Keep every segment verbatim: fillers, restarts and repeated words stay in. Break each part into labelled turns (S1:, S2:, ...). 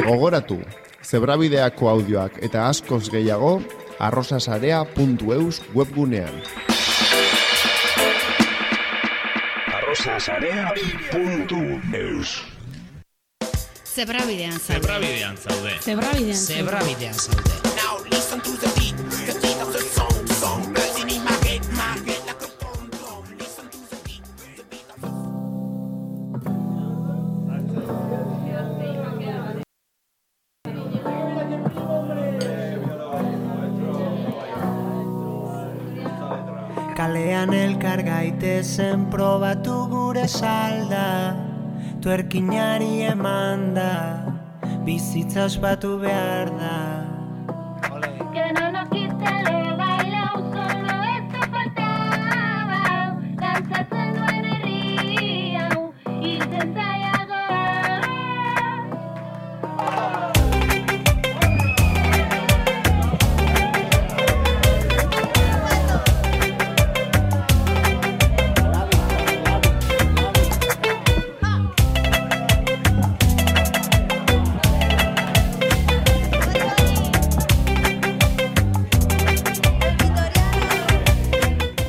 S1: Gogoratu, Zebrabideako audioak eta askoz gehiago arrosasarea puntu eus webgunean.
S2: arrosasarea puntu eus
S3: Zebrabidean zaude.
S4: Zebrabidean zaude.
S3: Zebrabidean zaude.
S4: Zebrabidean zaude.
S5: Now listen to the beat, cause it's a song, song, buzzing in my head, my head like a bomb, bomb. Listen to the beat, the beat of the
S6: Kalean elkar gaitezen probatu gure salda, tuerkinari eman da, bizitza ospatu behar da.
S7: Que no nos quite lo bailao, solo esto faltaba, dantzatzen duen herri hau, irten zaiagoa.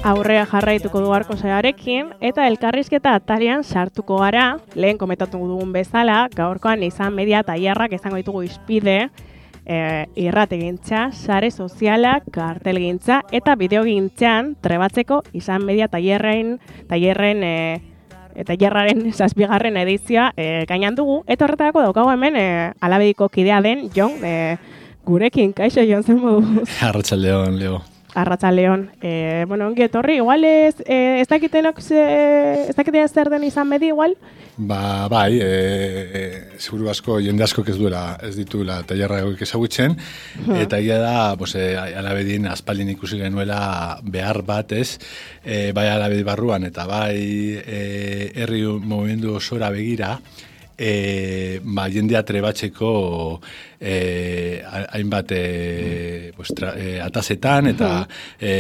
S8: Aurrea jarraituko du Arko Zearekin eta elkarrizketa atarian sartuko gara, lehen komentatu dugun bezala, gaurkoan izan media tailerrak izango ditugu izpide, e, irrategintza, sare sozialak, kartelgintza eta bideogintzan trebatzeko izan media tailerren, tailerren e, eta tailerraren zazpigarren edizioa e, gainan dugu, eta horretarako daukagu hemen e, Alabediko kidea den Jon, e, gurekin, kaixo Jon, zen moduz?
S9: Arratsaldeon, Leo.
S8: Arratsaldeon. Eh, bueno, ongi etorri, igual ez, eh, ez dakitenok ez dakiten zer den izan bedi, igual?
S9: Ba, bai, e, e, seguru asko, jende asko ez duela, ez dituela tailerra egoik ezagutzen, hmm. eta egia da, pues, e, Alabedin aspaldin ikusi genuela behar bat, ez, e, bai Alabedi barruan, eta bai e, herri movimendu osora begira, E, ba, jendea trebatzeko e, hainbat e, pues, tra, e, atazetan eta e,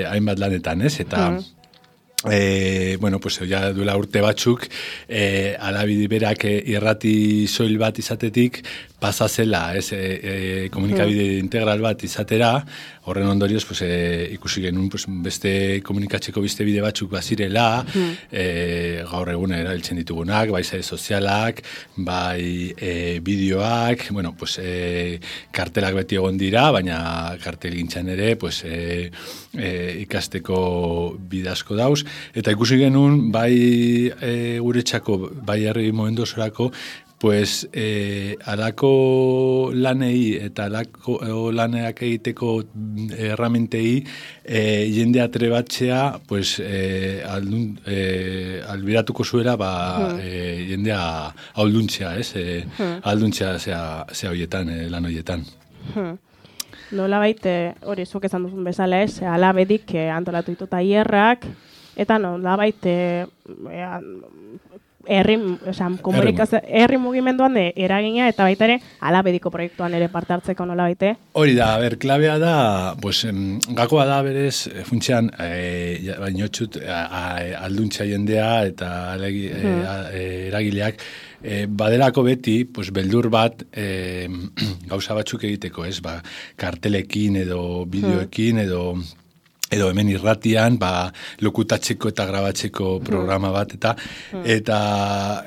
S9: hainbat lanetan, ez? Eta e, bueno, pues, ja duela urte batzuk e, Alabedi berak e, irrati soil bat izatetik pasa zela, ez, e, e, komunikabide integral bat izatera, horren ondorioz pues, e, ikusi genuen pues, beste komunikatzeko beste bide batzuk bazirela, mm. e, gaur egun erabiltzen ditugunak, bai sare sozialak, bai e, bideoak, bueno, pues, e, kartelak beti egon dira, baina kartelgintzan ere pues, e, e, ikasteko bide asko dauz, eta ikusi genuen bai e, guretzako, bai herri momentu osorako, pues, eh, alako lanei eta alako laneak egiteko erramentei eh, jendea trebatzea, pues, eh, aldun, eh, albiratuko zuela, ba, hmm. eh, jendea alduntzea, ez? Eh, hmm. Alduntzea zea, zea hoietan, eh, lan hoietan.
S8: Hmm. Nola baite, hori, zuk esan duzun bezala, ez? Alabedik eh, antolatu ditu tailerrak, eta nola baite... Eh, herri, osan, komunikazio, herri mugimenduan de, eragina eta baita ere Alabediko proiektuan ere parte hartzeko nola baite.
S9: Hori da, ber, klabea da, pues, em, gakoa da berez, funtsean, e, bainotxut, alduntza jendea eta alegi, hmm. e, a, eragileak, e, baderako beti, pues, beldur bat e, gauza batzuk egiteko, ez, ba, kartelekin edo bideoekin edo edo hemen irratian, ba, lokutatzeko eta grabatzeko programa bat, eta hmm. eta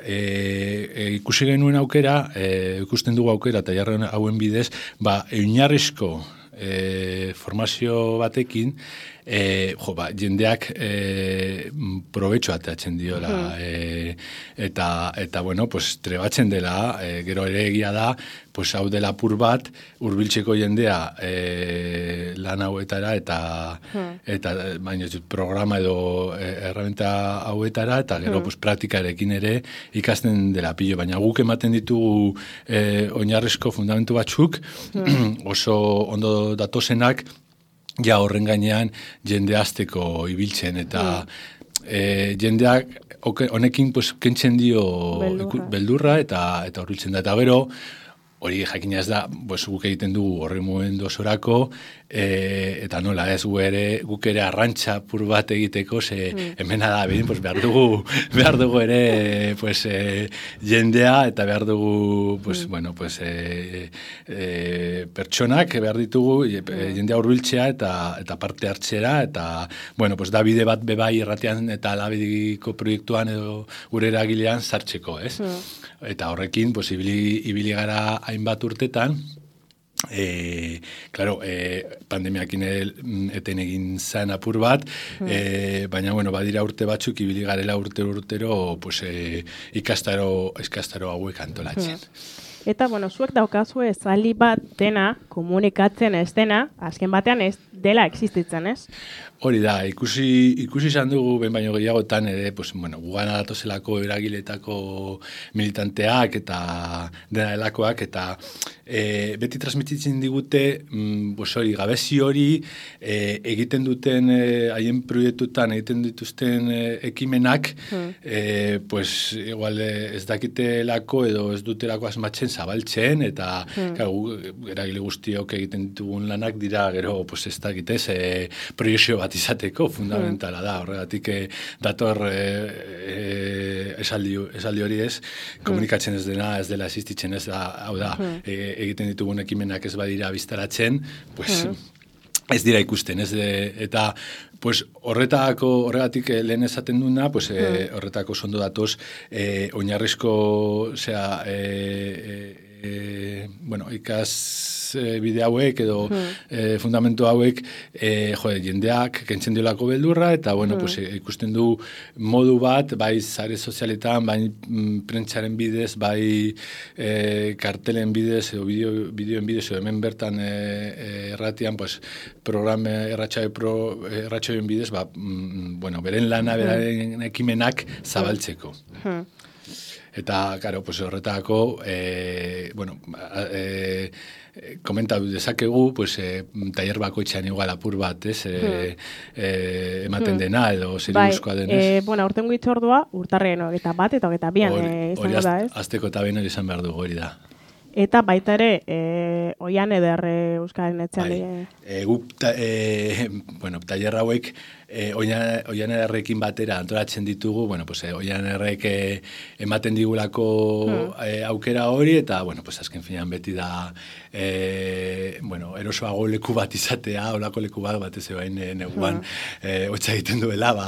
S9: e, e, ikusi genuen aukera, e, ikusten dugu aukera, eta jarren hauen bidez, ba, oinarrizko e, formazio batekin, e, jo, ba, jendeak e, probetxo ateatzen diola, hmm. e, eta, eta, bueno, pues, trebatzen dela, e, gero ere egia da, pues, hau dela apur bat, hurbiltzeko jendea e, lan hauetara, eta, hmm. eta baina, programa edo e, erramenta hauetara, eta gero, hmm. pues, praktikarekin ere ikasten dela pilo, baina guk ematen ditugu e, oinarrizko fundamentu batzuk, hmm. oso ondo datozenak, ja horren gainean jende azteko ibiltzen, eta mm. e, jendeak honekin pues, kentzen dio beldurra, beldurra eta eta horbiltzen da. Eta gero, hori jakina ez da, pues, guk egiten dugu horri mugimendu osorako, e, eta nola ez gu ere, guk ere arrantxa pur bat egiteko, ze mm. hemena da, bine, pues, behar dugu, behar dugu ere, pues, e, jendea, eta behar dugu, pues, mm. bueno, pues, e, e, pertsonak behar ditugu, e, mm. jendea hurbiltzea eta eta parte hartzera, eta, bueno, pues, da bide bat bebai irratean eta labediko proiektuan edo gure eragilean sartzeko, ez? Mm. Eta horrekin, pues, ibili, ibili gara hainbat urtetan, e, claro, e, pandemiakin eten egin zen apur bat, mm. e, baina, bueno, badira urte batzuk, ibili garela urtero urtero, pues, e, ikastaro, ikastaro hauek antolatzen.
S8: Mm. Eta, bueno, zuek daukazue zali bat dena, komunikatzen ez dena, azken batean ez dela existitzen, ez?
S9: Hori da, ikusi ikusi izan dugu ben baino gehiagotan ere, pues, bueno, gugana datozelako eragiletako militanteak eta dena delakoak, eta e, beti transmititzen digute, mm, pues, hori, gabezi hori e, egiten duten haien e, proiektutan egiten dituzten e, ekimenak, hmm. e, pues, igual ez dakitelako edo ez dutelako asmatzen zabaltzen, eta hmm. claro, eragile guztiok egiten ditugun lanak dira gero, pues, ez dakitez, e, proiekzio bat izateko fundamentala da, horregatik eh, dator eh, eh, esaldi, esaldi hori ez, komunikatzen ez dena, ez dela existitzen ez da, hau da, eh, egiten ditugun ekimenak ez badira biztaratzen, pues, ez dira ikusten, ez de, eta pues, horretako, horregatik lehen esaten duna, pues, eh, horretako sondo datoz, eh, oinarrizko, osea, eh, eh, bueno, ikas e, bide hauek edo hmm. e, fundamentu hauek e, jode, jendeak kentzen diolako beldurra eta bueno, hmm. pues, e, ikusten du modu bat, bai sare sozialetan, bai mm, prentsaren bidez, bai e, kartelen bidez edo bideo, bideoen bidez edo hemen bertan e, e, erratian pues, programa erratxaio pro, erratxaioen bidez ba, mm, bueno, beren lana, hmm. beren ekimenak zabaltzeko. Hmm. Eta, karo, pues, horretako, e, bueno, e, komentatu dezakegu, pues, e, taller bakoitzean igual apur bat, ez, e, hmm. e, ematen hmm. dena, edo zeriuzkoa
S8: bai,
S9: denez.
S8: E, bueno, aurten guitzordua, urtarren eta bat, eta eta bian
S9: hori,
S8: e, izango
S9: hori
S8: da, ez?
S9: Azteko eta bian hori izan behar dugu, hori da.
S8: Eta baita ere, e, oian ederre Euskaren etxean.
S9: Bai, e, guk, ta, e, bueno, taller hauek, e, oian, oian ederrekin batera antolatzen ditugu, bueno, pues, e, oian ederrek e, ematen digulako hmm. e, aukera hori, eta, bueno, pues, azken finean beti da, e, bueno, erosoago leku bat izatea, olako leku bat, batez ebain e, neguan, hmm. e, hotza egiten duela, ba,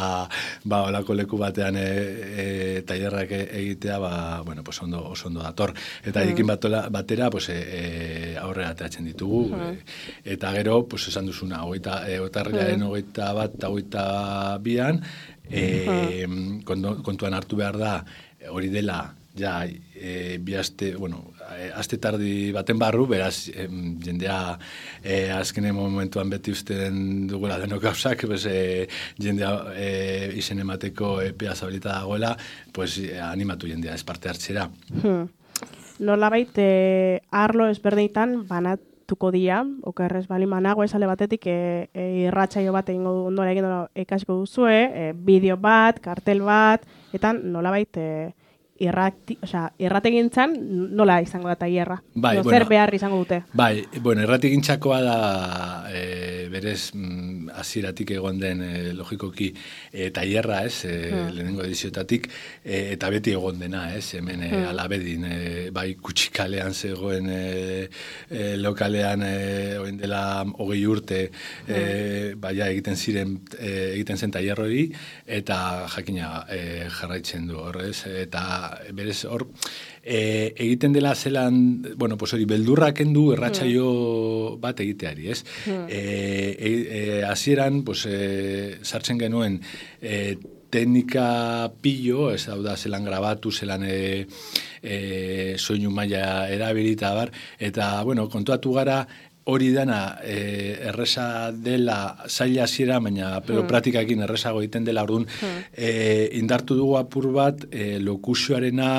S9: ba olako leku batean e, e, tailerrak egitea, ba, bueno, pues, ondo, oso ondo dator. Eta hmm. ekin batola, batera, pues, e, e, aurrera ateratzen ditugu, hmm. e, eta gero, pues, esan duzuna, hogeita, e, otarrilaren hmm. hogeita bat, hogeita bian, e, hmm. kontuan hartu behar da, hori dela, ja, e, bi aste, bueno, aste tardi baten barru, beraz, em, jendea e, azkenen momentuan beti usten dugula denok gauzak, pues, e, jendea e, izen emateko epea zabilita dagoela, pues, e, animatu jendea ez parte hartzera.
S8: Hmm. Nolabait, e, arlo ezberdinetan banatuko dira, okerrez bali manago esale batetik e, e, irratsaio bat egingo du, ondola egin ikasiko duzue, e, bideo bat, kartel bat, eta nolabait e, irrati, osea, irrategintzan nola izango da tailerra?
S9: Bai,
S8: no,
S9: bueno,
S8: zer behar izango dute?
S9: Bai, bueno, irrategintzakoa da e, berez mm, hasieratik egon den e, logikoki e, tailerra, ez, e, hmm. lehenengo ediziotatik, e, eta beti egon dena, ez, hemen e, hmm. alabedin, e, bai kutxikalean zegoen e, e, lokalean e, oin dela hogei urte hmm. e, baia egiten ziren e, egiten zen tailer hori, eta jakina e, jarraitzen du horrez, eta berez hor, e, egiten dela zelan, bueno, pues hori, beldurra kendu erratsaio mm. bat egiteari, ez? Mm. E, e, e, hasieran, pues, e, sartzen genuen e, teknika pillo, ez hau da, zelan grabatu, zelan e, e, soinu maila erabilita bar, eta, bueno, kontuatu gara, hori dana e, erresa dela zaila hasiera, baina pero hmm. praktikakin erresago egiten dela, orduan hmm. e, indartu dugu apur bat e, lokusioarena,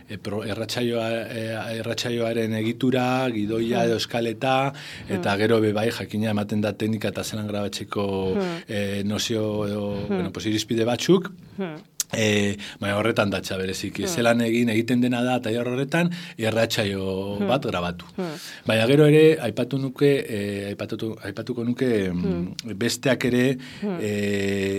S9: e, erratsaioa, e, erratsaioaren egitura, gidoia hmm. edo eskaleta, hmm. eta gero bebai jakina ematen da teknika eta zelan grabatzeko hmm. e, nozio edo, hmm. bueno, pues, irizpide batzuk, hmm. E, baina horretan datxa berezik. Hmm. Zelan egin egiten dena da tailer horretan irratsaio hmm. bat grabatu. Hmm. Baina gero ere aipatu nuke e, aipatu, aipatuko nuke hmm. besteak ere hmm. e,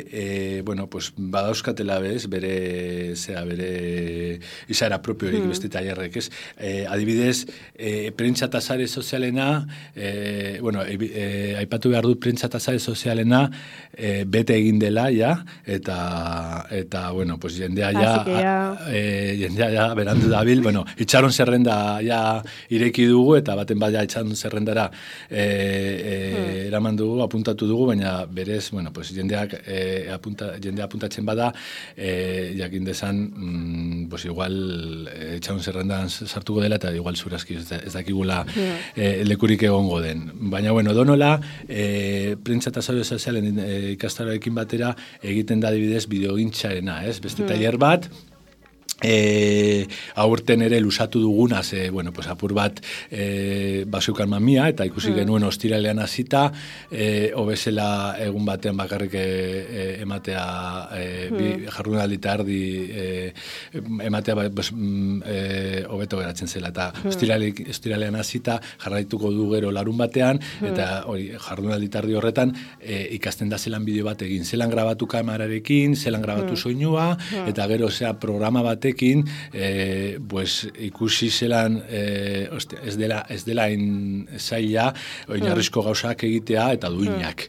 S9: e, bueno, pues badauzkatela bez bere zera bere izaera propiorik hmm. beste tailerrek, ez? E, adibidez, e, prentsa eta sare sozialena e, bueno, e, e, aipatu behar dut prentsa eta sare sozialena e, bete egin dela ja, eta eta bueno, pues jendea ja,
S8: ja...
S9: E, jendea ja berandu dabil, bueno, itxaron zerrenda ja ireki dugu, eta baten bat ja itxaron zerrendara e, e, hmm. eraman dugu, apuntatu dugu, baina berez, bueno, pues jendeak e, apunta, jendea apuntatzen bada, e, jakin dezan, mm, pues igual e, itxaron zerrendan sartuko dela, eta igual zurazki ez, ez dakigula hmm. e, lekurik egongo den. Baina, bueno, donola, e, prentsa eta sare sozialen e, ikastaroekin batera egiten da adibidez bideogintxarena, ez? Beste hmm. tailer bat, e, aurten ere lusatu duguna, ze, bueno, pues apur bat e, baseukan mamia, eta ikusi hmm. genuen ostiralean hasita, e, obezela egun batean bakarrik e, e, ematea e, hmm. bi jardunaldi eta erdi e, ematea pues, e, hobeto geratzen zela, eta hmm. ostirale, ostiralean hasita jarraituko du gero larun batean, hmm. eta hori jardunaldi eta erdi horretan e, ikasten da zelan bideo bat egin, zelan grabatu kamerarekin, zelan grabatu hmm. soinua, hmm. eta gero zea programa batekin, eh, pues, ikusi zelan eh, ostia, ez dela ez dela in zaila oinarrizko gauzak egitea eta duinak.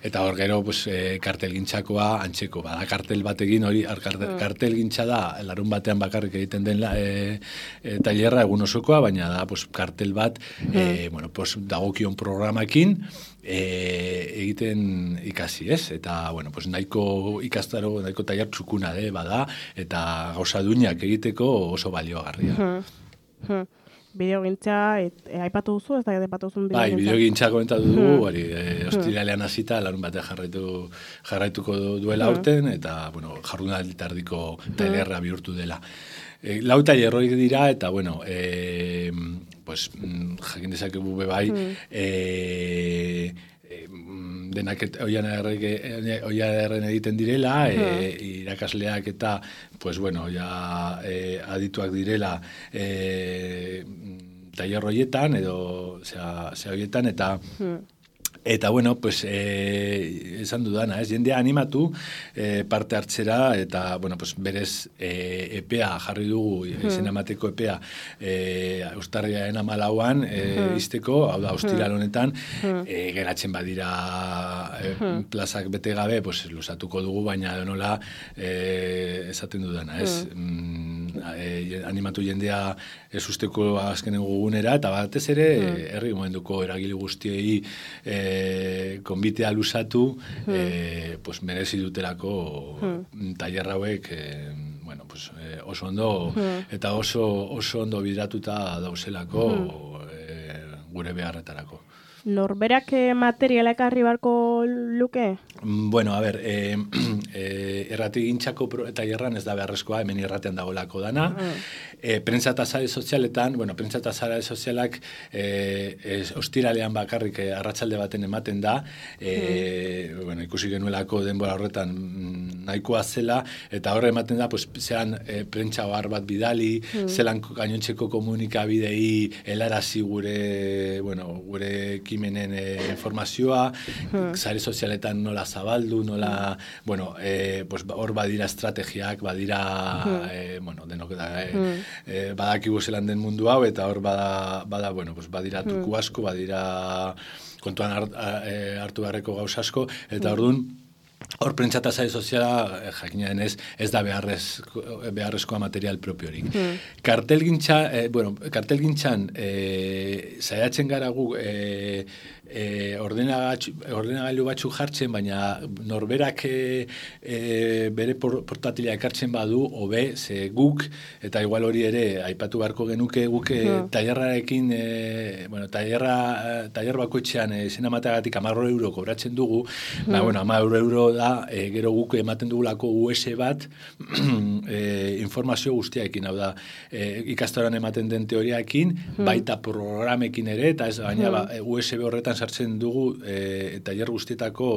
S9: Eta hor gero pues, eh, kartelgintzakoa antzeko, bada kartel batekin hori kartel, kartelgintza da larun batean bakarrik egiten den la, e, e, tailerra egun osokoa, baina da pues, kartel bat e, bueno, pues, dagokion programakin e, egiten ikasi, ez? Eta, bueno, pues, nahiko ikastaro, nahiko tailer txukuna de, bada, eta gauza duinak egiteko oso baliogarria.
S8: Hmm. Bideogintza, e, aipatu duzu, ez da aipatu duzun bideogintza?
S9: Bai, bideogintza komentatu dugu, hmm. hori, e, ostiralean hasita, larun batean jarraitu, jarraituko duela hmm. aurten, eta, bueno, jardunaldi tardiko tailerra bihurtu dela. E, lau tailer horiek dira, eta, bueno, e, pues, jakin dezakegu bai, hmm. e, denak oiarren egiten direla, e, irakasleak eta, pues bueno, ja e, adituak direla e, tailer horietan, edo zea, zea horietan, eta Eta, bueno, pues, eh, esan dudana, ez, jendea animatu eh, parte hartzera, eta, bueno, pues, berez eh, epea jarri dugu, hmm. izen emateko epea, eh, Uztarriaren hamalauan eh, hmm. izteko, hau da, ostiral honetan, hmm. eh, geratzen badira eh, hmm. plazak bete gabe, pues, lusatuko dugu, baina nola eh, esaten dudana, ez, hmm. eh, animatu jendea ez usteko azkenen gugunera, eta batez ere, hmm. herri momentuko eragile guztiei eh, E, konbitea lusatu hmm. e, pues, merezi dutelako hmm. tailer hauek e, bueno, pues, e, oso ondo hmm. eta oso, oso ondo bidratuta dauzelako hmm. e, gure beharretarako.
S8: Norberak materiala ekarri barko luke?
S9: Bueno, a ber, e, e, erratigintzako tailerran ez da beharrezkoa, hemen irratean dagoelako dana. Mm. E, prentsa eta sare sozialetan, bueno, prentsa eta sare sozialak e, ez, ostiralean bakarrik e, arratsalde baten ematen da, e, mm. bueno, ikusi genuelako denbora horretan nahikoa zela, eta horre ematen da, pues, zean e, prentsa ohar bat bidali, mm. zelan gainontzeko komunikabidei helarazi gure, bueno, gure ekimenen e, informazioa, hmm. sare sozialetan nola zabaldu, nola, hmm. bueno, e, pues, hor badira estrategiak, badira, hmm. e, bueno, denok da, e, hmm. e, badakigu zelan den mundu hau, eta hor bada, bada bueno, pues, badira tuku hmm. asko, badira kontuan hart, hartu beharreko gauza asko, eta orduan, hor prentsa eta sare soziala, jakina denez, ez da beharrezko, beharrezkoa material propiorik. Hmm. Kartelgintza, eh, bueno, kartelgintzan eh, saiatzen gara gu eh, eh, ordenagailu batzuk jartzen, baina norberak eh, eh, bere portatila ekartzen badu, hobe, ze guk, eta igual hori ere, aipatu beharko genuke guk hmm. tailerrarekin, eh, bueno, tailerra, tailer bakoitzean eh, zen amateagatik hamar euro kobratzen dugu, hmm. ba, bueno, hamar euro da, e, gero guk ematen dugulako U S bat e, informazio guztiaekin, hau da, e, ikastaroan ematen den teoriaekin, hmm. baita programekin ere, eta ez, baina hmm. ba, U S B horretan sartzen dugu e, tailer guztietako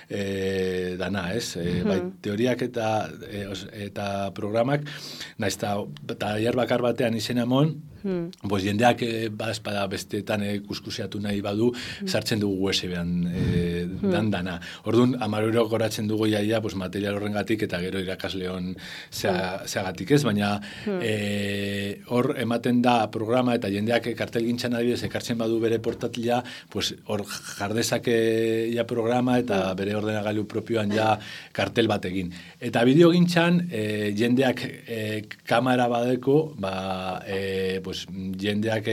S9: e, dana, ez? E, bai, teoriak eta e, os, eta programak, naiz eta tailer bakar batean izena mon, Hmm. Pues jendeak e, badazpada besteetan e, kuskusiatu nahi badu, hmm. sartzen dugu U S B-an e, dan dana. Orduan, hamar euro goratzen dugu jaia pues, material horrengatik eta gero irakasleon zeagatik ez, baina hmm. e, hor ematen da programa eta jendeak kartelgintzan adibidez ekartzen badu bere portatila, pues, hor jardezake ja programa eta hmm. bere ordenagailu propioan ja kartel bat egin. Eta bideogintzan e, jendeak e, kamera badeko, ba, e, pues, jendeak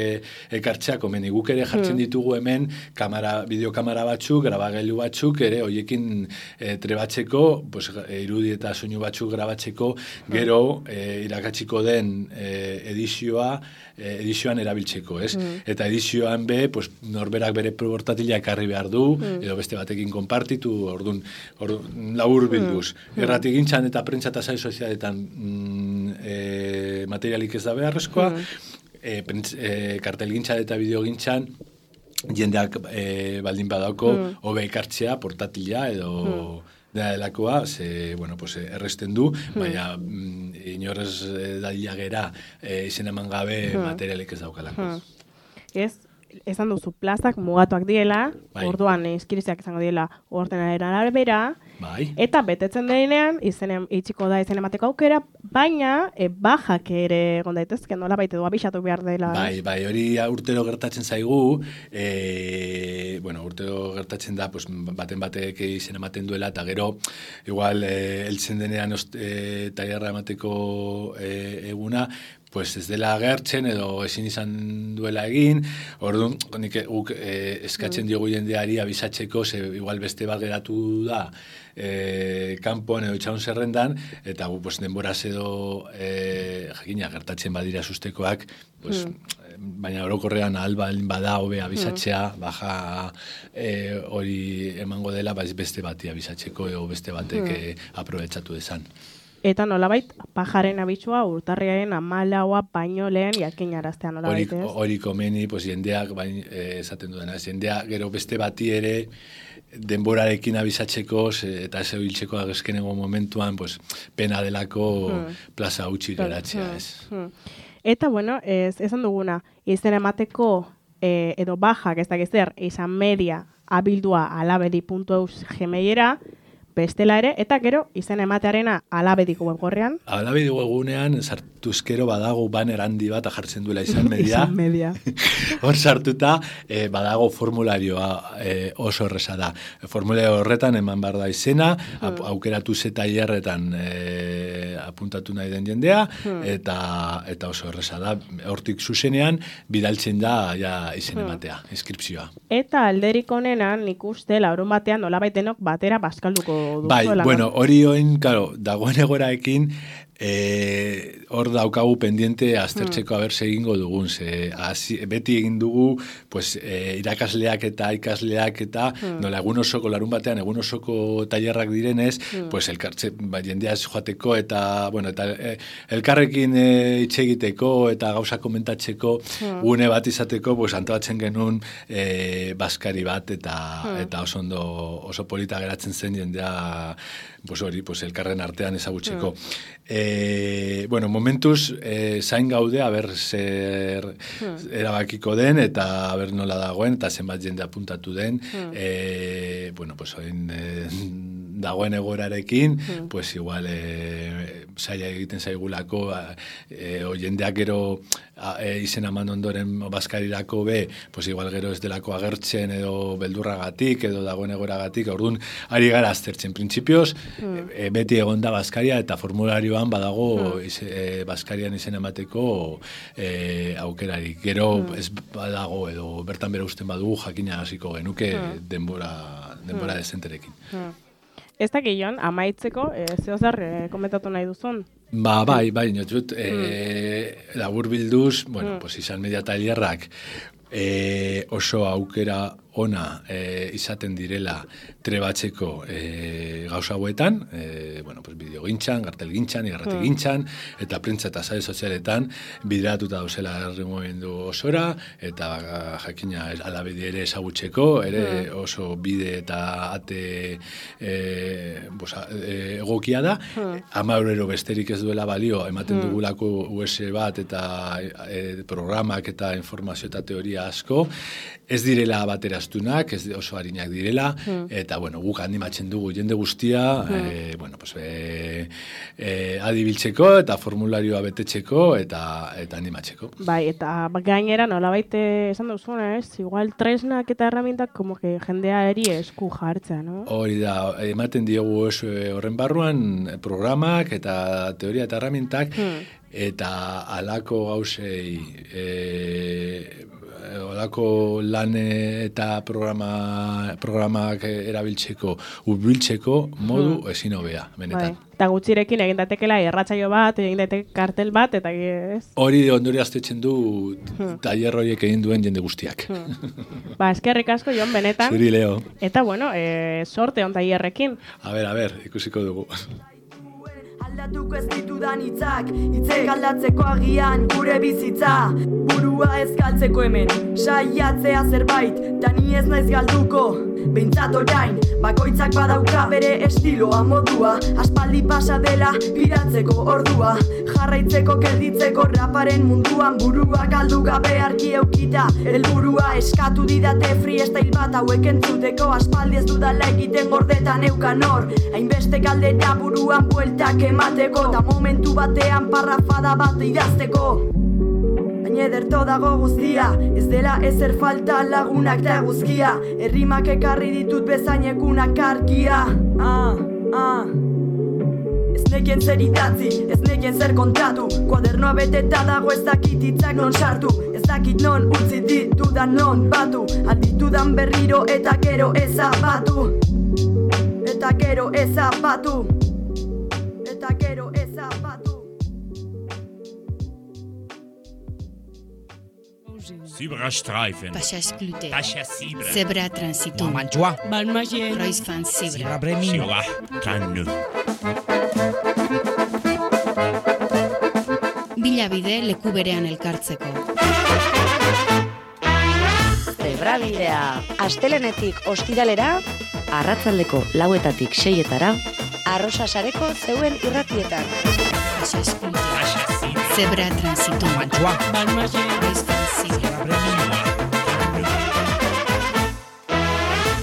S9: ekartzea komeni. Guk ere jartzen ditugu hemen kamera, bideokamera batzuk, grabagailu batzuk, ere hoiekin e, trebatzeko, pues, irudi eta soinu batzuk grabatzeko, gero e, irakatsiko den e, edizioa, e, edizioan erabiltzeko, ez? Mm. Eta edizioan be, pues, norberak bere portatila ekarri behar du, mm. edo beste batekin konpartitu, orduan, orduan labur bilduz. Mm. Erratigintzan eta prentsa eta sare sozialetan mm, e, materialik ez da beharrezkoa, mm. E, prentz, e, kartelgintzan eta bideogintzan jendeak e, baldin badauko mm. hobe ekartzea portatila edo mm. dela delakoa, ze, bueno, pues, erresten du, mm. baina mm, inorez daila gera e, izen eman gabe mm. materialik ez daukalako.
S8: Mm. Ez, esan duzu plazak mugatuak diela,
S9: bai.
S8: Orduan eskiriziak izango diela ordenaren arabera,
S9: bai. Eta
S8: betetzen denean, izen itxiko da izen emateko aukera, baina e, bajak ere egon daitezke, nola baite du abisatu behar dela.
S9: Bai, bai, hori urtero gertatzen zaigu, e, bueno, urtero gertatzen da, pues, baten batek izen ematen duela, eta gero, igual, e, eltzen denean e, tailerra emateko e, eguna, pues ez dela agertzen edo ezin izan duela egin, orduan nik guk e, eskatzen diogu jendeari abisatzeko, ze igual beste bat geratu da e, kanpoan edo itxaun zerrendan, eta gu pues, denboraz edo e, jakina gertatzen badira sustekoak, pues, mm. baina orokorrean ahal bada hobe abisatzea, mm. baja e, hori emango dela beste bati abisatzeko edo beste batek mm. e, aprobetxatu dezan.
S8: Eta nolabait, pajaren abitsua urtarriaren amalaua baino lehen jakinaraztea nolabait, ez?
S9: Hori komeni, pues, jendeak, bain, eh, esaten duena, jendeak gero beste bati ere denborarekin abisatzeko eta ez euriltzeko agezkenengo momentuan, pues, pena delako hmm. plaza utzi geratzea, ez?
S8: Hmm. Eta, bueno, ez, esan duguna, izen emateko eh, edo bajak, ez dakiz zer, izan media abildua alabedi puntu eus gmailera, bestela ere, eta gero izen ematearena alabediko webgorrean.
S9: Alabediko webgunean sartuzkero badago banner handi bat jartzen duela izan media.
S8: Izan media.
S9: Hor sartuta eh, badago formularioa eh, oso erresa da. Formulario horretan eman behar da izena, hmm. aukeratu ze tailerretan eh, apuntatu nahi den jendea, hmm. eta, eta oso erresa da. Hortik zuzenean bidaltzen da ja izen ematea, hmm. inskripzioa.
S8: Eta alderik honenan nik uste laurun batean nolabait denok batera bazkalduko
S9: bai, bueno, hori oin, claro, dagoen egoraekin, eh, hor daukagu pendiente aztertzeko mm. haber egingo dugun, ze, azi, beti egin dugu, pues, eh, irakasleak eta ikasleak eta, mm. nola, egun osoko, larun batean, egun osoko tailerrak direnez, mm. pues, elkartze, ba, jendeaz joateko eta, bueno, eta eh, elkarrekin eh, itxegiteko eta gauza komentatzeko, mm. gune bat izateko, pues, antoatzen genuen eh, baskari bat eta, mm. eta oso ondo, oso polita geratzen zen jendea, pues, hori, pues, elkarren artean ezagutzeko. Mm. E, bueno, momentuz e, zain gaude, aber zer hmm. erabakiko den, eta aber nola dagoen, eta zenbat jende apuntatu den, hmm. e, bueno, pues oin e, dagoen egoerarekin, hmm. pues igual e, zaila egiten zaigulako, e, o jendeak gero e, izen eman ondoren bazkarirako be, pues igual gero ez delako agertzen edo beldurragatik, edo dagoen egoeragatik, orduan ari gara aztertzen printzipioz, hmm. e, beti egon da bazkaria eta formulario badago hmm. ize, e, bazkarian izen emateko e, aukerarik. Gero hmm. ez badago edo bertan bera usten badugu jakina hasiko genuke hmm. denbora, denbora hmm. dezenterekin.
S8: Hmm. Ez da gehien, amaitzeko, e, zeo zer e, komentatu nahi duzun?
S9: Ba, bai, bai, notut, e, hmm. labur bilduz, bueno, hmm. pues izan media tailerrak, E, oso aukera ona e, izaten direla trebatzeko e, gauza hauetan, e, bueno, pues bideo gintxan, gartel gintxan, irrati gintxan, eta prentza eta sare sozialetan bideratuta dauzela herri mugimendu osora, eta jakina alabedi ere ezagutzeko, ere oso bide eta ate e, bosa, e, egokia da, ama eurero besterik ez duela balio, ematen dugulako U S bat eta e, programak eta informazio eta teoria asko, ez direla bateraztunak, ez oso harinak direla, eta bueno, guk animatzen dugu jende guztia, e, bueno, pues, e, e, adibiltzeko eta formularioa betetzeko eta eta animatzeko.
S8: Bai, eta gainera nolabait esan duzuna, ez? Igual tresnak eta herramientak como que jendea eri esku jartza, no?
S9: Hori da, ematen diogu oso horren barruan programak eta teoria eta herramientak, eta halako gauzei e, olako lan eta programa, programak erabiltzeko, urbiltzeko modu ezin hobea, benetan.
S8: Bai. Eta gutxirekin egin datekela irratsaio bat, egin daiteke kartel bat, eta ez?
S9: Hori ondori aztetzen du tailer horiek egin duen jende guztiak.
S8: Ba, eskerrik asko, Jon, benetan.
S9: Zuri, Leo.
S8: Eta, bueno, e, sorte on tailerrekin.
S9: A ber, a ber, ikusiko dugu.
S3: Aldatuko ez ditudan hitzak, hitzek aldatzeko agian gure bizitza. Burua ez galtzeko hemen, saiatzea zerbait, ta ni ez naiz galduko, behintzat orain. Bakoitzak badauka bere estiloa modua, aspaldi pasa dela piratzeko ordua. Jarraitzeko gelditzeko raparen munduan, burua galdu gabe argi eukita. Helburua eskatu didate freestyle bat hauek entzuteko, aspaldi ez dudala egiten gordetan eukan hor. Hainbeste galdera buruan bueltak emateko, ta momentu batean parrafada bat idazteko. Baina ederto dago guztia, ez dela ezer falta lagunak da guzkia. Errimak ekarri ditut bezainekunak argia. Ah, ah. Ez nekien zer idatzi, ez nekien zer kontatu. Kuadernoa beteta dago ez dakit hitzak non sartu. Ez dakit non utzi ditudan non batu. Alditudan berriro eta gero ezabatu. Eta gero ezabatu. Eta gero ezabatu.
S4: Zebrastreifen.
S10: Passagsklute.
S4: Passassibre.
S10: Zebra transitum.
S4: Mantua.
S10: Balmagien. Reusfan zebra.
S4: Bremin. Sira. Kannu.
S10: Bilabide leku berean elkartzeko.
S11: Zebrabidea. Astelenetik ostiralera, arratsaldeko lauetatik seietara, Arrosasareko zeuen irratietan.
S10: Passagsklute. Zebra transitum.
S4: Mantua.
S10: Balmagien. Reusfan zebra.
S4: Bremin.